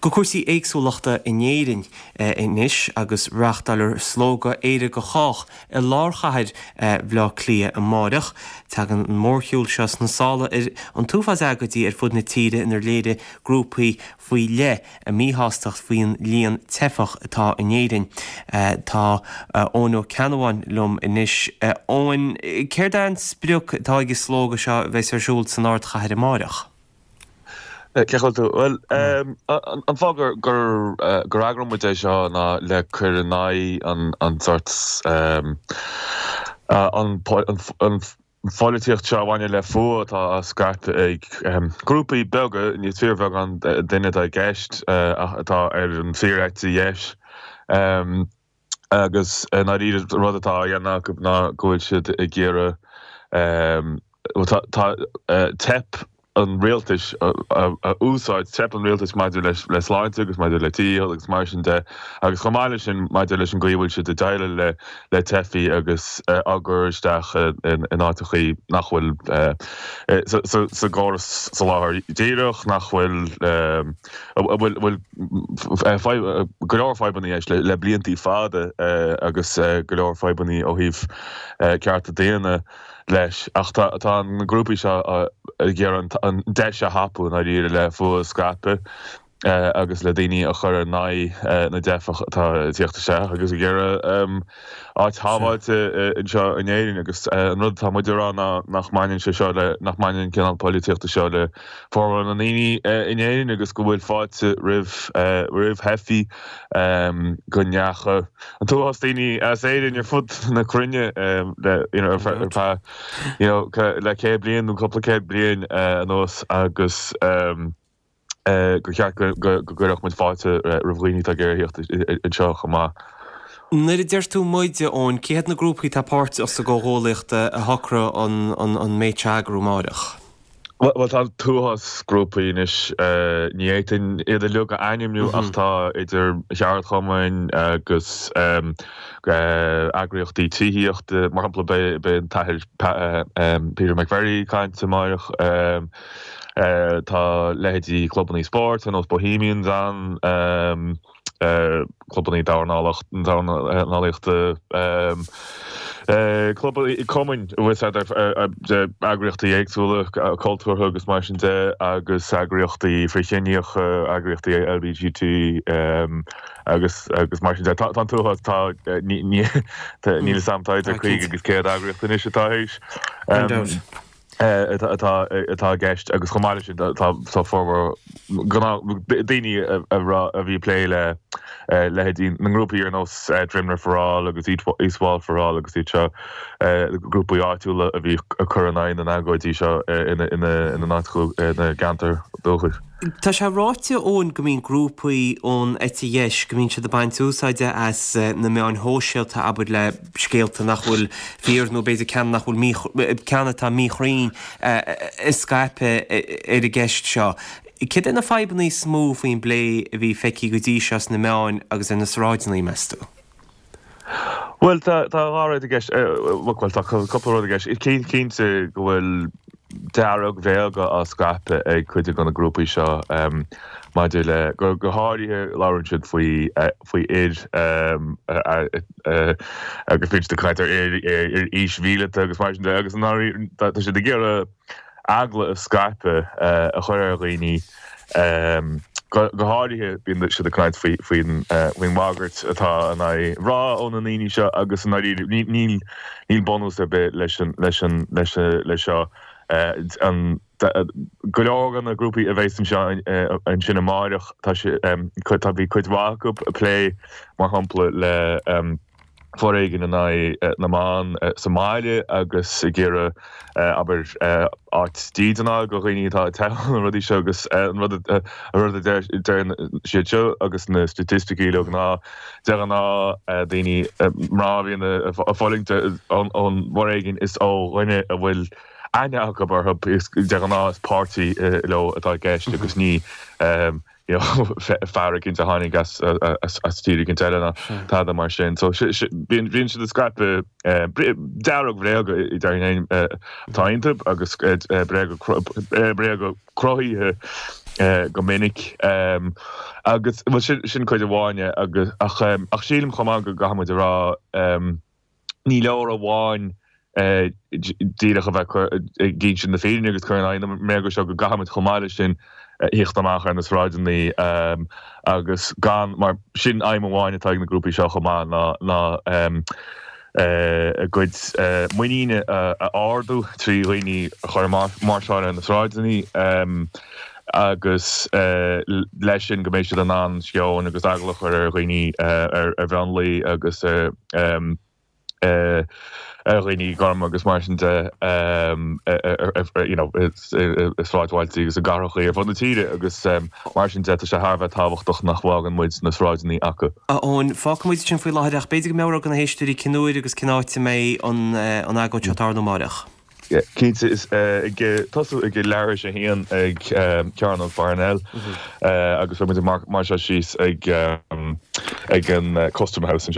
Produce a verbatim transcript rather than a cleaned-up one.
Go cúrsaí éagsúlachta in Éirinn anois agus reáchtáilfear slógadh Éire do Chách i lár chathair Bhaile Átha Cliath amárach. Tagann an mórshiúl seo sna sála ar an t-uafás agóidí ar fud na tíre inar léirigh grúpaí faoi leith a míshástacht faoin líon teifeach atá in Éirinn. Tá Eoin Ó Ceannabháin liom anois. Eoin, céard é an sprioc atá ag an slógadh seo a bheas ar siúl san ardchathair amárach? Cén chaoi a bhfuil tú? Bhuel, an fáth gur gur gur eagraíonn muid é seo ná le cur in aghaidh an an sort an an pholaitíocht seo a bhaineann le fuath atá á scaipeadh ag grúpaí beaga, níos fíorbheagán duine atá i gceist atá ar an fíor-eite dheis. Agus i ndáiríre an rud atá á dhéanamh acu ná go bhfuil siad ag iarraidh, tá teip an rialtais a úsáid, teip an rialtais maidir le sláinte agus maidir le tithíocht agus mar sin de, agus chomh maith leis sin maidir leis an gcaoi a bhfuil siad ag déileáil le le teifigh agus á gcur isteach in áiteachaí nach bhfuil sa gcóras soláthair díreach, nach bhfuil a bhfuil go leor fadhbanna leis le bliantaí fada agus go leor fadhbanna ó thaobh cearta daonna leis. Ach tá tá na grúpaí seo ag iarraidh an deis a thapú i ndáiríre le fuath a scaipeadh agus le daoine a chur in aghaidh na dteifeach atá ag tíocht isteach agus ag iarraidh áit shábháilte anseo in Éirinn. Agus an rud atá muid a rá ná nach mbaineann sé seo le, nach mbaineann an cineál polaitíochta seo le formhór na ndaoine in Éirinn agus go bhfuil fáilte roimh roimh theifigh, go ndeacha an t-uafás daoine as Éirinn ar fud na cruinne le you know ar feadh you know le céad bliain nó cúpla céad bliain anuas agus gur cheart go gcuirfeadh muid fáilte roimh dhaoine atá ag iarraidh theacht anseo chomh maith. Nuair a deir tú muid, a Eoin, cé hiad na grúpaí atá páirteach sa gcomhghuaillíocht a shocraigh an méid seo a eagrú amáireach? Bhuel, tá an t-uafás grúpaí anois, ní fhéadfainn iad uilig a ainmniú ach tá idir cheardchumainn agus eagraíochtaí tithíochta, mar shampla beidh an tAthair Peter McVerry ag caint amáireach, tá leithéidí clubannaí spóirt ar nós Bohemians ann, clubannaí dornálaíochta, clubannaí, cumainn, eagraíochtaí éagsúla cultúrtha agus mar sin de agus eagraíochtaí frithchiníocha, eagraíochtaí L B G T agus agus mar sin de. Tá an t-uafás, tá, níl a fhios agam, tá idir caoga agus céad eagraíocht anois atá théis. atá atá i gceist agus chomh maith leis sin tá tá formhór daoine a a bhí ag plé le leithéidí na ngrúpaí ar nós Drimnagh for All agus East Wall for All agus iad seo, grúpaí áitiúla a bhí ag cur in aghaidh na n-agóidí seo ina ina ina n-áit ina gceantar dúchais. Tá sé ráite, Eoin, go mbíonn grúpaí ón eite dheis, go mbíonn siad ag baint úsáide as na meáin shóisialta, abair, le scéalta nach bhfuil fíor nó b'fhéidir ceann nach bhfuil mí, ceann atá míchruinn a scaipeadh ar an gceist seo. Céard é na fadhbanna is mó faoin bplé a bhí feicthe go dtí seo sna meáin agus ar na sráideanna, meas tú? Bhuel, tá tá dhá rud i gceist, bhuel, tá cúpla rud i gceist. Cinnte go bhfuil dearg-bhréaga á scaipeadh ag cuid de na grúpaí seo maidir le, go háirithe labhrann siad faoi faoi fhir agus bíonn siad ag caint ar fhir ar aois mhíleata agus mar sin de agus i ndáiríre tá siad ag iarraidh eagla a scaipeadh a chur ar dhaoine. Go háirithe bíonn siad ag caint faoi faoin bhagairt atá in aghaidh mná ó na ndaoine seo agus i ndáiríre níl níl bunús ar bith leis an leis an leis leis seo. An go leor de na grúpaí a bheas anseo ansin amáireach tá sé tá bhí cuid mhaith acu ag plé mar shampla le foréigean in aghaidh na mban sa mbaile agus ag iarraidh abair áit dídine a fháil do dhaoine atá ag teitheadh na rudaí seo agus an rud an rud a deir siad seo agus na staitisticí uilig ná de ghnáth daoine mná a bhíonn ag fulaingt ón bhforéigean is ó dhuine a bhfuil aithne acu orthu is de ghnáth is páirtí leo atá i gceist agus ní you know fear éicint a tháinig as as tír éicint eile ná tada mar sin. So bíonn bíonn siad ag scaipeadh dearg-bhréaga déarfainn atá iontu agus bréaga bréaga cruthaithe go minic agus sin sin cuid amháin agus ach ach sílim chomh maith go gcaithfidh muid a rá ní leor amháin díreach a bheith ag insint na fírinne agus cur in aghaidh na mbréaga seo go gcaithfidh muid chomh maith leis sin theacht amach ar na sráideanna agus gan mar sin aidhm amháin atá ag na grúpaí seo chomh maith ná ná a gcuid muiníne a ardú trí dhaoine a chur máirseáil ar na sráideanna agus leis sin go mbeidh siad in ann sceon agus eagla a chur ar dhaoine ar mhionlaigh agus ar ar dhaoine gorma agus mar sin de you know i sráidbhailte agus i gcathracha ar fud na tíre agus mar sin de tá sé thar a bheith tábhachtach nach bhfágann muid na sráideanna acu. A Eoin, fágfaidh muid sin faoi láthair ach b'fhéidir go meabhródh do na héisteoirí cén uair agus cén áit a mbeidh an agóid seo ag tarlú amárach. Cinnte is ag tosú ag leathuair tar éis a haon ag Cearnóg Pharnell agus beidh muid ag máirseáil síos ag ag an Custom House.